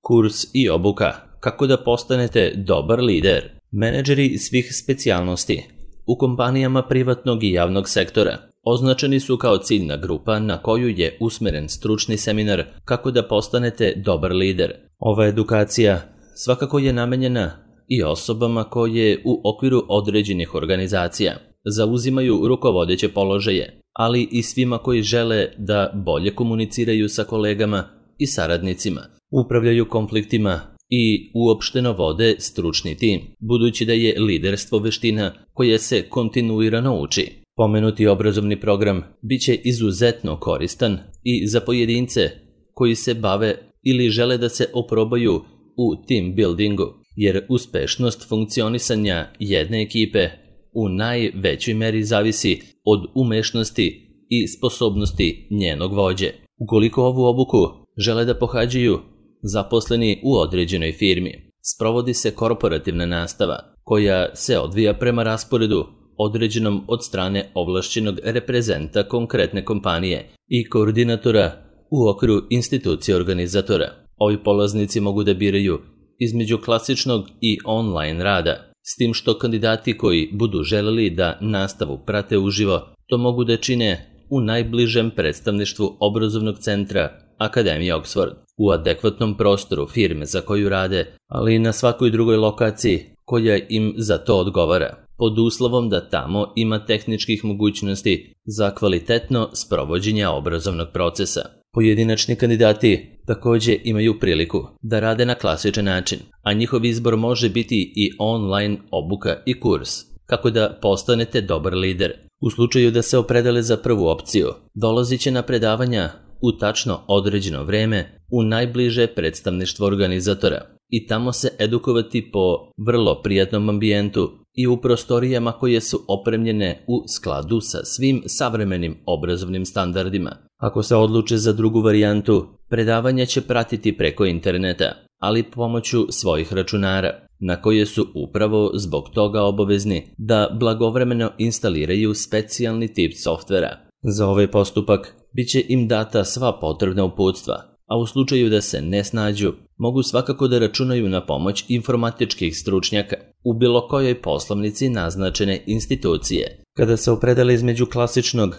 Kurs i obuka. Kako da postanete dobar lider. Menadžeri svih specijalnosti u kompanijama privatnog i javnog sektora označeni su kao ciljna grupa na koju je usmeren stručni seminar Kako da postanete dobar lider. Ova edukacija svakako je namenjena i osobama koje u okviru određenih organizacija zauzimaju rukovodeće položaje, ali i svima koji žele da bolje komuniciraju sa kolegama i saradnicima, upravljaju konfliktima i uopšteno vode stručni tim, budući da je liderstvo veština koja se kontinuirano uči. Pomenuti obrazovni program biće izuzetno koristan i za pojedince koji se bave ili žele da se oprobaju u team buildingu, jer uspešnost funkcionisanja jedne ekipe u najvećoj meri zavisi od umešnosti i sposobnosti njenog vođe. Ukoliko ovu obuku žele da pohađaju zaposleni u određenoj firmi, sprovodi se korporativna nastava koja se odvija prema rasporedu određenom od strane ovlašćenog reprezenta konkretne kompanije i koordinatora u okviru institucije organizatora. Ovi polaznici mogu da biraju između klasičnog i online rada, s tim što kandidati koji budu želeli da nastavu prate uživo, to mogu da čine u najbližem predstavništvu obrazovnog centra Akademije Oxford, u adekvatnom prostoru firme za koju rade, ali i na svakoj drugoj lokaciji koja im za to odgovara, pod uslovom da tamo ima tehničkih mogućnosti za kvalitetno sprovođenje obrazovnog procesa. Pojedinačni kandidati takođe imaju priliku da rade na klasičan način, a njihov izbor može biti i online obuka i kurs. Kako da postanete dobar lider. U slučaju da se opredele za prvu opciju, dolazit će na predavanja u tačno određeno vreme u najbliže predstavništvo organizatora i tamo se edukovati po vrlo prijatnom ambijentu i u prostorijama koje su opremljene u skladu sa svim savremenim obrazovnim standardima. Ako se odluče za drugu varijantu, predavanja će pratiti preko interneta, ali pomoću svojih računara, na koje su upravo zbog toga obavezni da blagovremeno instaliraju specijalni tip softvera. Za ovaj postupak biće im data sva potrebna uputstva, a u slučaju da se ne snađu, mogu svakako da računaju na pomoć informatičkih stručnjaka u bilo kojoj poslovnici naznačene institucije. Kada se opredele između klasičnog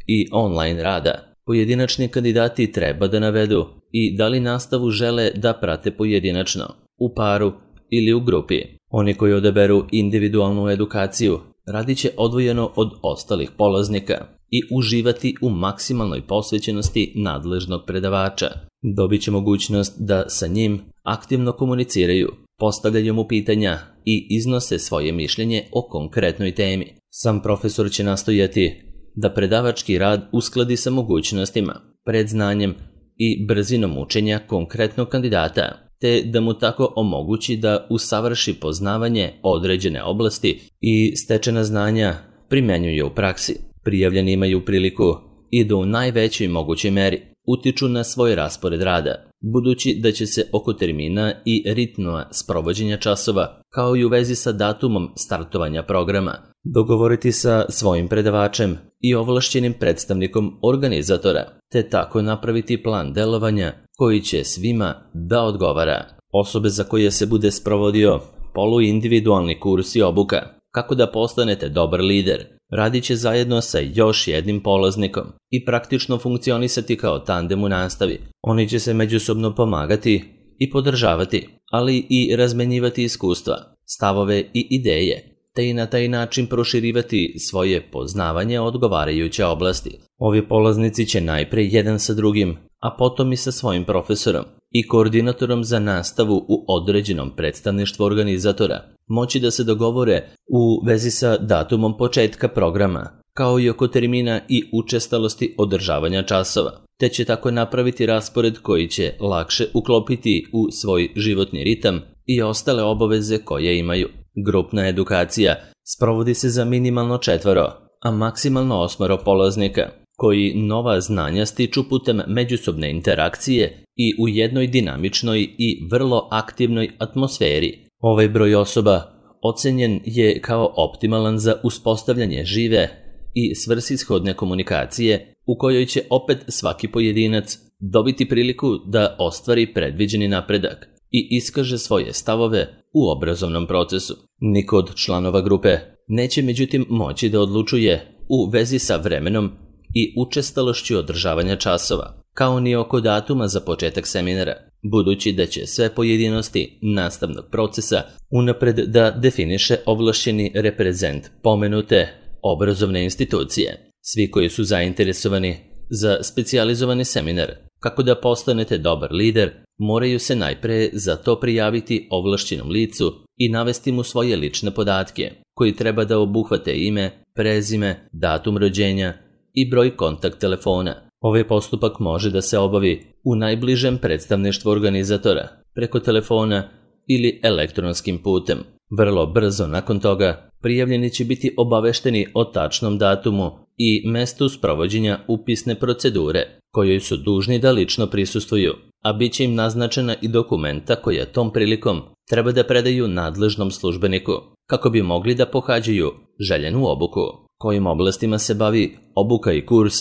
i online rada, pojedinačni kandidati treba da navedu i da li nastavu žele da prate pojedinačno, u paru ili u grupi. Oni koji odaberu individualnu edukaciju radit će odvojeno od ostalih polaznika i uživati u maksimalnoj posvećenosti nadležnog predavača. Dobit će mogućnost da sa njim aktivno komuniciraju, postavljaju mu pitanja i iznose svoje mišljenje o konkretnoj temi. Sam profesor će nastojati da predavački rad uskladi sa mogućnostima, predznanjem i brzinom učenja konkretnog kandidata, te da mu tako omogući da usavrši poznavanje određene oblasti i stečena znanja primenjuje u praksi. Prijavljeni imaju priliku i da u najvećoj mogućoj meri utiču na svoj raspored rada, budući da će se oko termina i ritma sprovođenja časova, kao i u vezi sa datumom startovanja programa, dogovoriti sa svojim predavačem i ovlašćenim predstavnikom organizatora, te tako napraviti plan delovanja koji će svima da odgovara. Osobe za koje se bude sprovodio poluindividualni kurs i obuka Kako da postanete dobar lider radit će zajedno sa još jednim polaznikom i praktično funkcionisati kao tandem u nastavi. Oni će se međusobno pomagati i podržavati, ali i razmenjivati iskustva, stavove i ideje, te i na taj način proširivati svoje poznavanje odgovarajuće oblasti. Ovi polaznici će najpre jedan sa drugim, a potom i sa svojim profesorom i koordinatorom za nastavu u određenom predstavništvu organizatora moći da se dogovore u vezi sa datumom početka programa, kao i oko termina i učestalosti održavanja časova, te će tako napraviti raspored koji će lakše uklopiti u svoj životni ritam i ostale obaveze koje imaju. Grupna edukacija sprovodi se za minimalno 4, a maksimalno 8 polaznika, koji nova znanja stiču putem međusobne interakcije i u jednoj dinamičnoj i vrlo aktivnoj atmosferi. Ovaj broj osoba ocenjen je kao optimalan za uspostavljanje žive i svrsishodne komunikacije u kojoj će opet svaki pojedinac dobiti priliku da ostvari predviđeni napredak i iskaže svoje stavove u obrazovnom procesu. Niko od članova grupe neće međutim moći da odlučuje u vezi sa vremenom i učestalošću održavanja časova, kao ni oko datuma za početak seminara, budući da će sve pojedinosti nastavnog procesa unapred da definiše ovlašćeni reprezent pomenute obrazovne institucije. Svi koji su zainteresovani za specijalizovani seminar kako da postanete dobar lider, moraju se najpre za to prijaviti ovlašćenom licu i navesti mu svoje lične podatke, koji treba da obuhvate ime, prezime, datum rođenja i broj kontakt telefona. Ovaj postupak može da se obavi u najbližem predstavništvu organizatora, preko telefona ili elektronskim putem. Vrlo brzo nakon toga prijavljeni će biti obavešteni o tačnom datumu i mestu sprovođenja upisne procedure, kojoj su dužni da lično prisustvuju, a bit će im naznačena i dokumenta koja tom prilikom treba da predaju nadležnom službeniku, kako bi mogli da pohađaju željenu obuku. Kojim oblastima se bavi obuka i kurs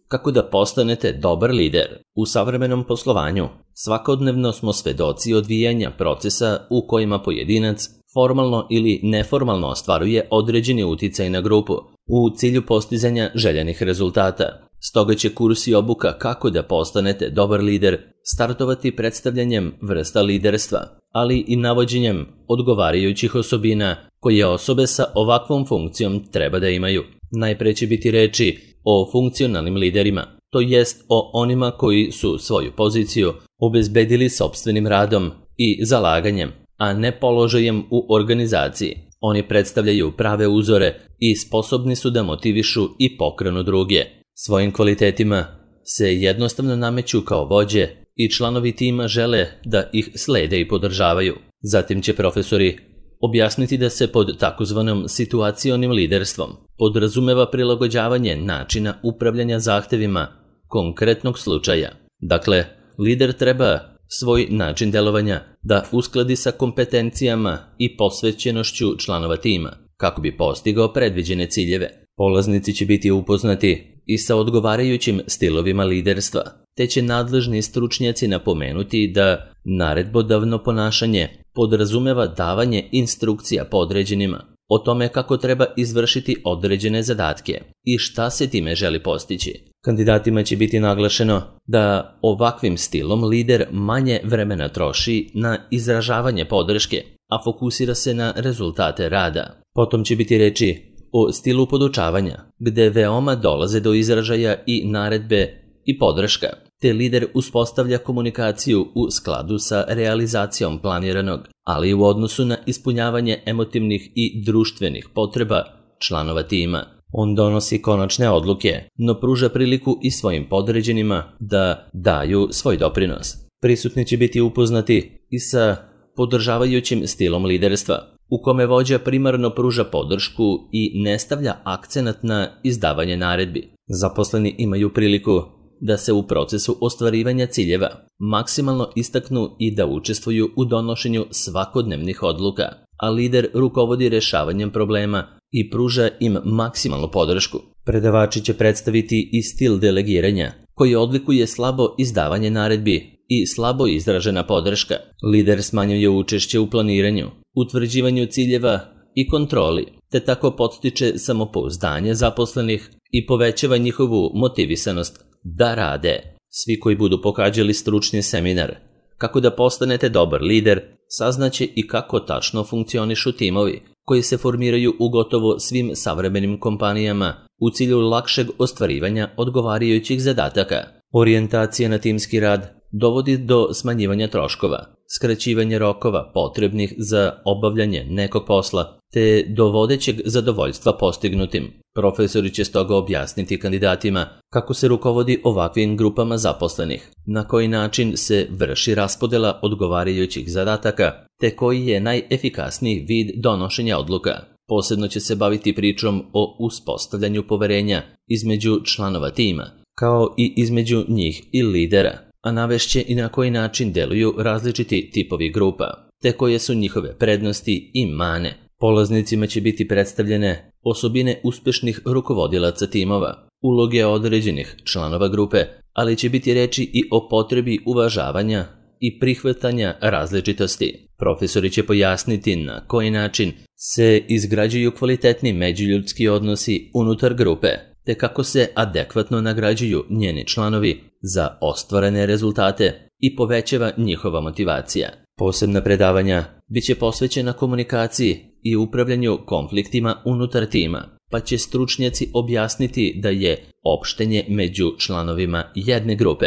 kako da postanete dobar lider. U savremenom poslovanju svakodnevno smo svedoci odvijanja procesa u kojima pojedinac formalno ili neformalno ostvaruje određeni uticaj na grupu u cilju postizanja željenih rezultata. Stoga će kurs i obuka kako da postanete dobar lider startovati predstavljanjem vrsta liderstva, ali i navođenjem odgovarajućih osobina koje osobe sa ovakvom funkcijom treba da imaju. Najpre će biti reči o funkcionalnim liderima, to jest o onima koji su svoju poziciju obezbedili sopstvenim radom i zalaganjem, a ne položajem u organizaciji. Oni predstavljaju prave uzore i sposobni su da motivišu i pokrenu druge. Svojim kvalitetima se jednostavno nameću kao vođe i članovi tima žele da ih slede i podržavaju. Zatim će profesori objasniti da se pod takozvanom situacionim liderstvom podrazumeva prilagođavanje načina upravljanja zahtevima konkretnog slučaja. Dakle, lider treba svoj način delovanja da uskladi sa kompetencijama i posvećenošću članova tima, kako bi postigao predviđene ciljeve. Polaznici će biti upoznati i sa odgovarajućim stilovima liderstva, te će nadležni stručnjaci napomenuti da naredbodavno ponašanje podrazumeva davanje instrukcija podređenima o tome kako treba izvršiti određene zadatke i šta se time želi postići. Kandidatima će biti naglašeno da ovakvim stilom lider manje vremena troši na izražavanje podrške, a fokusira se na rezultate rada. Potom će biti reči o stilu podučavanja, gde veoma dolaze do izražaja i naredbe i podrška, te lider uspostavlja komunikaciju u skladu sa realizacijom planiranog, ali u odnosu na ispunjavanje emotivnih i društvenih potreba članova tima. On donosi konačne odluke, no pruža priliku i svojim podređenima da daju svoj doprinos. Prisutni će biti upoznati i sa podržavajućim stilom liderstva, u kome vođa primarno pruža podršku i ne stavlja akcenat na izdavanje naredbi. Zaposleni imaju priliku da se u procesu ostvarivanja ciljeva maksimalno istaknu i da učestvuju u donošenju svakodnevnih odluka, a lider rukovodi rešavanjem problema i pruža im maksimalnu podršku. Predavači će predstaviti i stil delegiranja, koji odlikuje slabo izdavanje naredbi i slabo izražena podrška. Lider smanjuje učešće u planiranju, utvrđivanju ciljeva i kontroli, te tako podstiče samopouzdanje zaposlenih i povećava njihovu motivisanost da rade. Svi koji budu pohađali stručni seminar kako da postanete dobar lider, saznaće i kako tačno funkcionišu timovi koji se formiraju u gotovo svim savremenim kompanijama u cilju lakšeg ostvarivanja odgovarajućih zadataka. Orijentacija na timski rad dovodi do smanjivanja troškova, skraćivanja rokova potrebnih za obavljanje nekog posla, te do vodećeg zadovoljstva postignutim. Profesori će stoga objasniti kandidatima kako se rukovodi ovakvim grupama zaposlenih, na koji način se vrši raspodela odgovarajućih zadataka, te koji je najefikasniji vid donošenja odluka. Posebno će se baviti pričom o uspostavljanju poverenja između članova tima, kao i između njih i lidera, a navešće i na koji način deluju različiti tipovi grupa, te koje su njihove prednosti i mane. Polaznicima će biti predstavljene osobine uspešnih rukovodilaca timova, uloge određenih članova grupe, ali će biti reči i o potrebi uvažavanja i prihvatanja različitosti. Profesori će pojasniti na koji način se izgrađuju kvalitetni međuljudski odnosi unutar grupe, te kako se adekvatno nagrađuju njeni članovi za ostvarene rezultate i povećava njihova motivacija. Posebna predavanja biće posvećena komunikaciji i upravljanju konfliktima unutar tima, pa će stručnjaci objasniti da je opštenje među članovima jedne grupe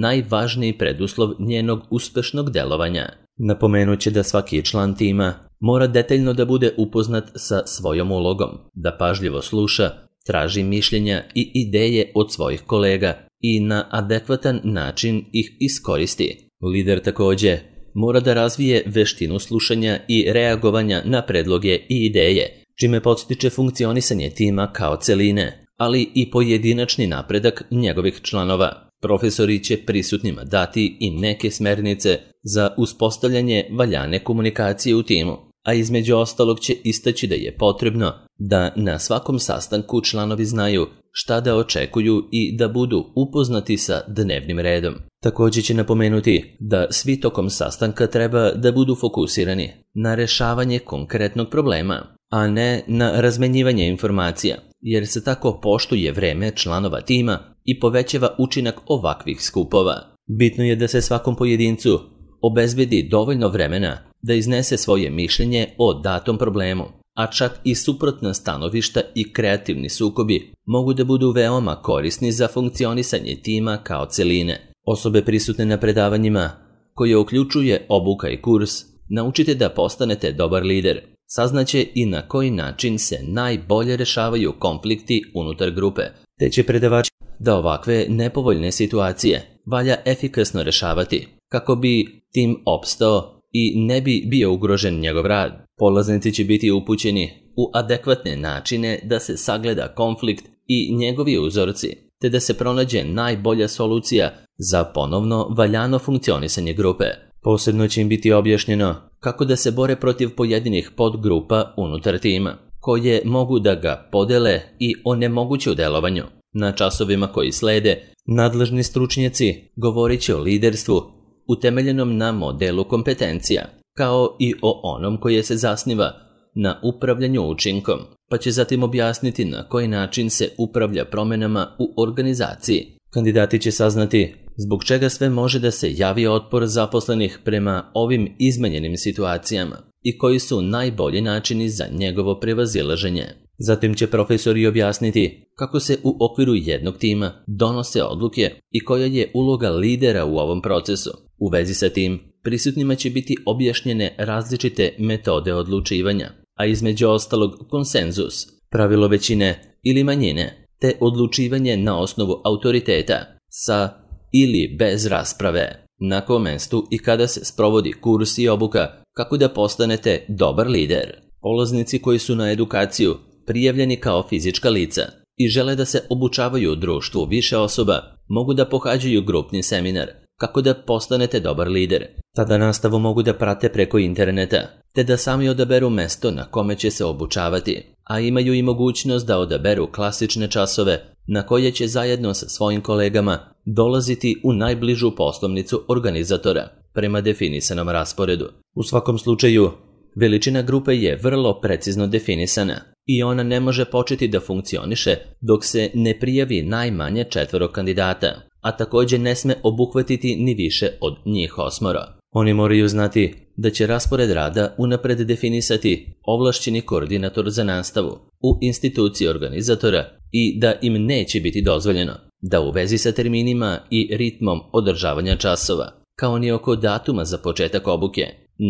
najvažniji preduslov njenog uspešnog delovanja. Napomenut će da svaki član tima mora detaljno da bude upoznat sa svojom ulogom, da pažljivo sluša, traži mišljenja i ideje od svojih kolega i na adekvatan način ih iskoristi. Lider takođe mora da razvije veštinu slušanja i reagovanja na predloge i ideje, čime podstiče funkcionisanje tima kao celine, ali i pojedinačni napredak njegovih članova. Profesori će prisutnima dati i neke smernice za uspostavljanje valjane komunikacije u timu, a između ostalog će istaći da je potrebno da na svakom sastanku članovi znaju šta da očekuju i da budu upoznati sa dnevnim redom. Također će napomenuti da svi tokom sastanka treba da budu fokusirani na rešavanje konkretnog problema, a ne na razmenjivanje informacija, jer se tako poštuje vreme članova tima i povećava učinak ovakvih skupova. Bitno je da se svakom pojedincu obezbedi dovoljno vremena da iznese svoje mišljenje o datom problemu, a čak i suprotna stanovišta i kreativni sukobi mogu da budu veoma korisni za funkcionisanje tima kao celine. Osobe prisutne na predavanjima, koje uključuje obuka i kurs, naučite da postanete dobar lider. Saznaće i na koji način se najbolje rešavaju konflikti unutar grupe, te će predavači da ovakve nepovoljne situacije valja efikasno rešavati kako bi tim opstao i ne bi bio ugrožen njegov rad. Polaznici će biti upućeni u adekvatne načine da se sagleda konflikt i njegovi uzorci, te da se pronađe najbolja solucija za ponovno valjano funkcionisanje grupe. Posebno će im biti objašnjeno kako da se bore protiv pojedinih podgrupa unutar tima, koje mogu da ga podele i onemoguće u delovanju. Na časovima koji slede, nadležni stručnjaci govorit će o liderstvu utemeljenom na modelu kompetencija, kao i o onom koje se zasniva na upravljanju učinkom, pa će zatim objasniti na koji način se upravlja promenama u organizaciji. Kandidati će saznati zbog čega sve može da se javi otpor zaposlenih prema ovim izmenjenim situacijama i koji su najbolji načini za njegovo prevazilaženje. Zatim će profesori objasniti kako se u okviru jednog tima donose odluke i koja je uloga lidera u ovom procesu. U vezi sa tim, prisutnima će biti objašnjene različite metode odlučivanja, a između ostalog konsenzus, pravilo većine ili manjine, te odlučivanje na osnovu autoriteta sa ili bez rasprave. Na kom mestu i kada se sprovodi kurs i obuka kako da postanete dobar lider. Polaznici koji su na edukaciju prijavljeni kao fizička lica i žele da se obučavaju u društvu više osoba, mogu da pohađaju grupni seminar kako da postanete dobar lider. Tada nastavu mogu da prate preko interneta, te da sami odaberu mesto na kome će se obučavati, a imaju i mogućnost da odaberu klasične časove na koje će zajedno sa svojim kolegama dolaziti u najbližu poslovnicu organizatora prema definisanom rasporedu. U svakom slučaju, veličina grupe je vrlo precizno definisana i ona ne može početi da funkcioniše dok se ne prijavi najmanje 4 kandidata, a također ne sme obuhvatiti ni više od njih 8. Oni moraju znati da će raspored rada unapred definisati ovlašćeni koordinator za nastavu u instituciji organizatora i da im neće biti dozvoljeno da u vezi sa terminima i ritmom održavanja časova, kao ni oko datuma za početak obuke,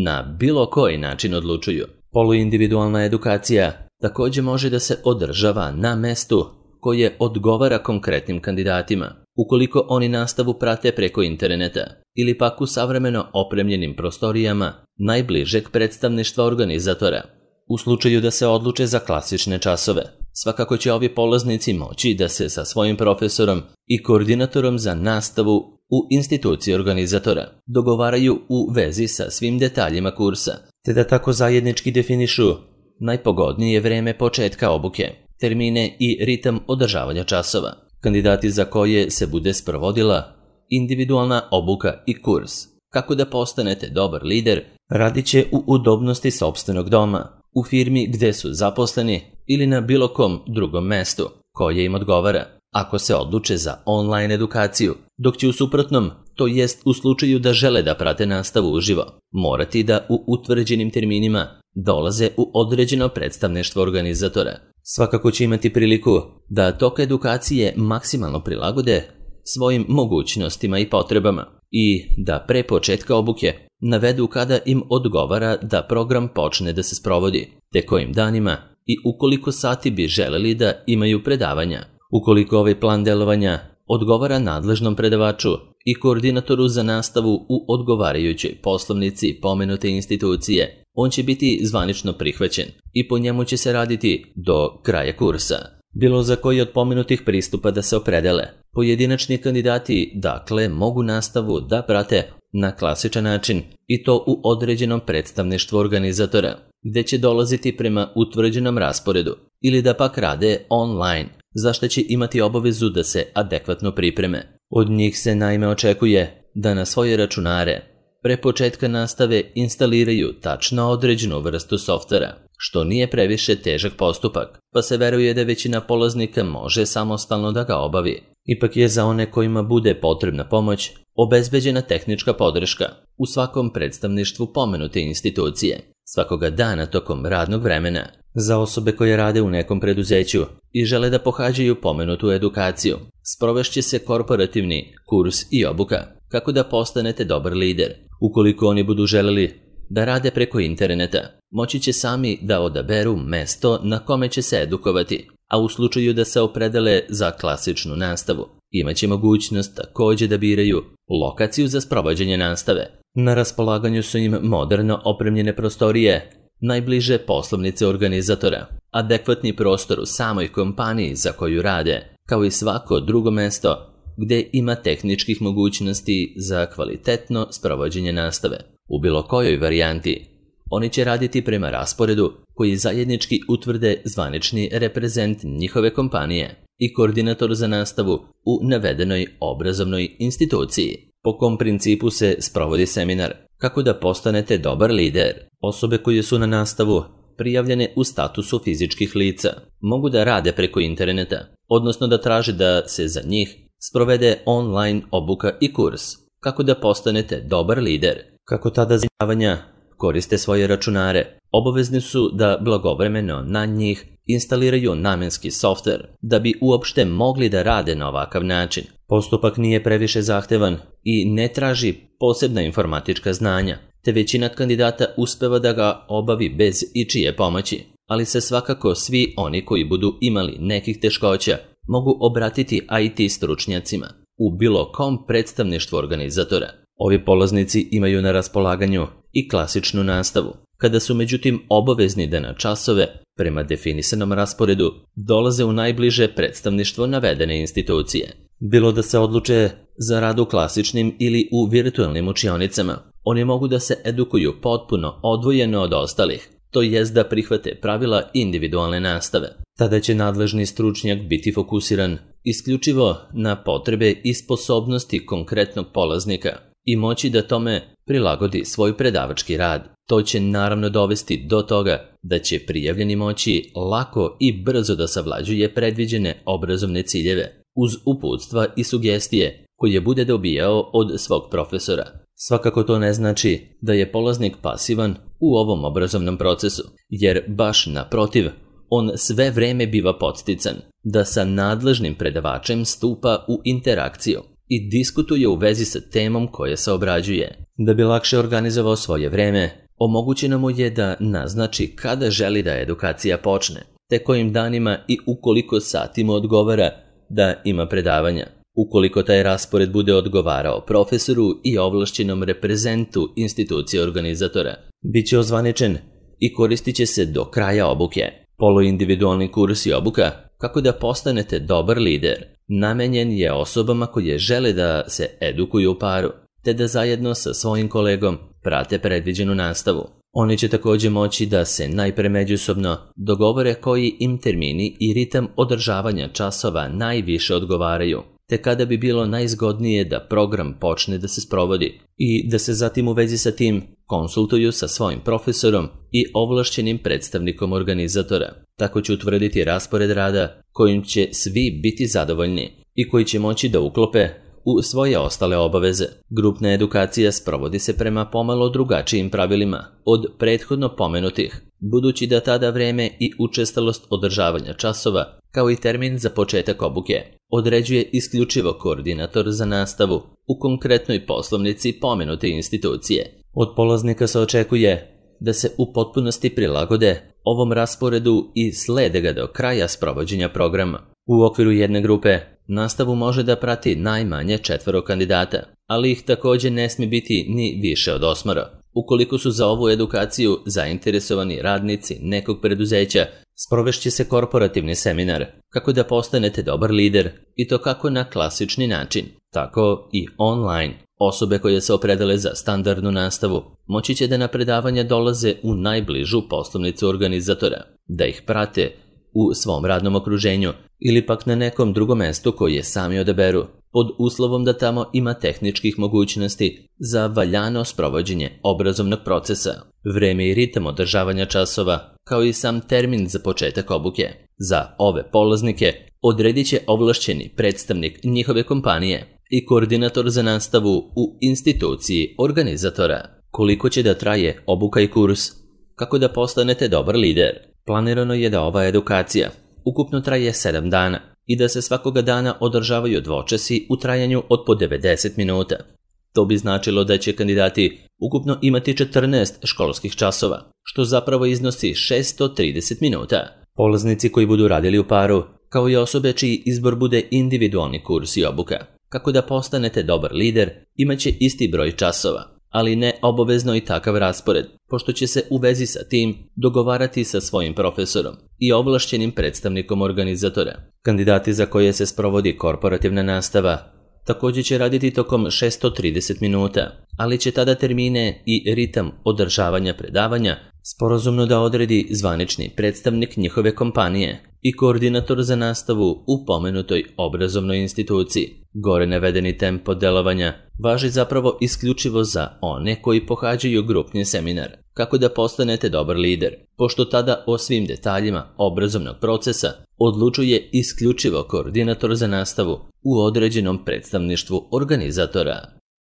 na bilo koji način odlučuju. Poluindividualna edukacija također može da se održava na mestu koje odgovara konkretnim kandidatima, ukoliko oni nastavu prate preko interneta ili pak u savremeno opremljenim prostorijama najbližeg predstavništva organizatora. U slučaju da se odluče za klasične časove, svakako će ovi polaznici moći da se sa svojim profesorom i koordinatorom za nastavu u instituciji organizatora dogovaraju u vezi sa svim detaljima kursa, te da tako zajednički definišu najpogodnije vreme početka obuke, termine i ritam održavanja časova, kandidati za koje se bude sprovodila individualna obuka i kurs, Kako da postanete dobar lider radit će u udobnosti sopstvenog doma, u firmi gde su zaposleni ili na bilo kom drugom mestu koje im odgovara, ako se odluče za online edukaciju, dok će u suprotnom, to jest u slučaju da žele da prate nastavu uživo, morati da u utvrđenim terminima dolaze u određeno predstavništvo organizatora. Svakako će imati priliku da tok edukacije maksimalno prilagode svojim mogućnostima i potrebama i da pre početka obuke navedu kada im odgovara da program počne da se sprovodi, te kojim danima i u koliko sati bi želeli da imaju predavanja. Ukoliko ovaj plan delovanja odgovara nadležnom predavaču i koordinatoru za nastavu u odgovarajućoj poslovnici pomenute institucije, on će biti zvanično prihvaćen i po njemu će se raditi do kraja kursa. Bilo za koji od pomenutih pristupa da se opredele, pojedinačni kandidati dakle mogu nastavu da prate na klasičan način i to u određenom predstavništvu organizatora, gde će dolaziti prema utvrđenom rasporedu ili da pak rade online, za što će imati obavezu da se adekvatno pripreme. Od njih se naime očekuje da na svoje računare pre početka nastave instaliraju tačno određenu vrstu softvera, što nije previše težak postupak, pa se veruje da većina polaznika može samostalno da ga obavi. Ipak je za one kojima bude potrebna pomoć obezbeđena tehnička podrška u svakom predstavništvu pomenute institucije, svakoga dana tokom radnog vremena. Za osobe koje rade u nekom preduzeću i žele da pohađaju pomenutu edukaciju, sprovešće se korporativni kurs i obuka kako da postanete dobar lider. Ukoliko oni budu želeli da rade preko interneta, moći će sami da odaberu mesto na kome će se edukovati, a u slučaju da se opredele za klasičnu nastavu, imaće mogućnost takođe da biraju lokaciju za sprovođenje nastave. Na raspolaganju su im moderno opremljene prostorije, najbliže poslovnice organizatora, adekvatni prostor u samoj kompaniji za koju rade, kao i svako drugo mesto gde ima tehničkih mogućnosti za kvalitetno sprovođenje nastave. U bilo kojoj varijanti, oni će raditi prema rasporedu koji zajednički utvrde zvanični reprezent njihove kompanije i koordinator za nastavu u navedenoj obrazovnoj instituciji. Po kom principu se sprovodi seminar? Kako da postanete dobar lider? Osobe koje su na nastavu prijavljene u statusu fizičkih lica mogu da rade preko interneta, odnosno da traže da se za njih sprovede online obuka i kurs. Kako da postanete dobar lider? Kako tada zanimavanja koriste svoje računare, obavezni su da blagovremeno na njih instaliraju namenski softver da bi uopšte mogli da rade na ovakav način. Postupak nije previše zahtevan i ne traži posebna informatička znanja, te većina kandidata uspeva da ga obavi bez ičije pomoći, ali se svakako svi oni koji budu imali nekih teškoća mogu obratiti IT stručnjacima u bilo kom predstavništvu organizatora. Ovi polaznici imaju na raspolaganju i klasičnu nastavu, kada su međutim obavezni da na časove, prema definisanom rasporedu, dolaze u najbliže predstavništvo navedene institucije. Bilo da se odluče za rad u klasičnim ili u virtualnim učionicama, oni mogu da se edukuju potpuno odvojeno od ostalih, to jest da prihvate pravila individualne nastave. Tada će nadležni stručnjak biti fokusiran isključivo na potrebe i sposobnosti konkretnog polaznika i moći da tome prilagodi svoj predavački rad. To će naravno dovesti do toga da će prijavljeni moći lako i brzo da savlađuje predviđene obrazovne ciljeve, uz uputstva i sugestije koje bude dobijao od svog profesora. Svakako to ne znači da je polaznik pasivan u ovom obrazovnom procesu, jer baš naprotiv, on sve vreme biva podstican da sa nadležnim predavačem stupa u interakciju i diskutuje u vezi sa temom koja se obrađuje. Da bi lakše organizovao svoje vreme, omogućeno mu je da naznači kada želi da edukacija počne, te kojim danima i ukoliko sati mu odgovara da ima predavanja. Ukoliko taj raspored bude odgovarao profesoru i ovlašćenom reprezentu institucije organizatora, bit će ozvaničen i koristit će se do kraja obuke. Poluindividualni kurs i obuka kako da postanete dobar lider namenjen je osobama koje žele da se edukuju u paru, te da zajedno sa svojim kolegom prate predviđenu nastavu. Oni će također moći da se najpre međusobno dogovore koji im termini i ritam održavanja časova najviše odgovaraju, te kada bi bilo najzgodnije da program počne da se sprovodi i da se zatim u vezi sa tim konsultuju sa svojim profesorom i ovlašćenim predstavnikom organizatora. Tako će utvrditi raspored rada kojim će svi biti zadovoljni i koji će moći da uklope u svoje ostale obaveze. Grupna edukacija sprovodi se prema pomalo drugačijim pravilima od prethodno pomenutih, budući da tada vreme i učestalost održavanja časova, kao i termin za početak obuke, određuje isključivo koordinator za nastavu u konkretnoj poslovnici pomenute institucije. Od polaznika se očekuje da se u potpunosti prilagode ovom rasporedu i slede ga do kraja sprovođenja programa. U okviru jedne grupe nastavu može da prati najmanje 4 kandidata, ali ih također ne smije biti ni više od 8. Ukoliko su za ovu edukaciju zainteresovani radnici nekog preduzeća, sprovešće se korporativni seminar kako da postanete dobar lider, i to kako na klasični način, tako i online. Osobe koje se opredele za standardnu nastavu moći će da na predavanja dolaze u najbližu poslovnicu organizatora, da ih prate u svom radnom okruženju ili pak na nekom drugom mestu koje sami odaberu, pod uslovom da tamo ima tehničkih mogućnosti za valjano sprovođenje obrazovnog procesa. Vreme i ritam održavanja časova, kao i sam termin za početak obuke, za ove polaznike odredit će ovlašćeni predstavnik njihove kompanije i koordinator za nastavu u instituciji organizatora. Koliko će da traje obuka i kurs? Kako da postanete dobar lider? Planirano je da ova edukacija ukupno traje 7 dana i da se svakoga dana održavaju dvočasi u trajanju od po 90 minuta. To bi značilo da će kandidati ukupno imati 14 školskih časova, što zapravo iznosi 630 minuta. Polaznici koji budu radili u paru, kao i osobe čiji izbor bude individualni kurs i obuka. Kako da postanete dobar lider, imaće isti broj časova, ali ne obavezno i takav raspored, pošto će se u vezi sa tim dogovarati sa svojim profesorom i ovlašćenim predstavnikom organizatora. Kandidati za koje se sprovodi korporativna nastava također će raditi tokom 630 minuta, ali će tada termine i ritam održavanja predavanja sporazumno da odredi zvanični predstavnik njihove kompanije i koordinator za nastavu u pomenutoj obrazovnoj instituciji. Gore navedeni tempo delovanja važi zapravo isključivo za one koji pohađaju grupni seminar, kako da postanete dobar lider, pošto tada o svim detaljima obrazovnog procesa odlučuje isključivo koordinator za nastavu u određenom predstavništvu organizatora.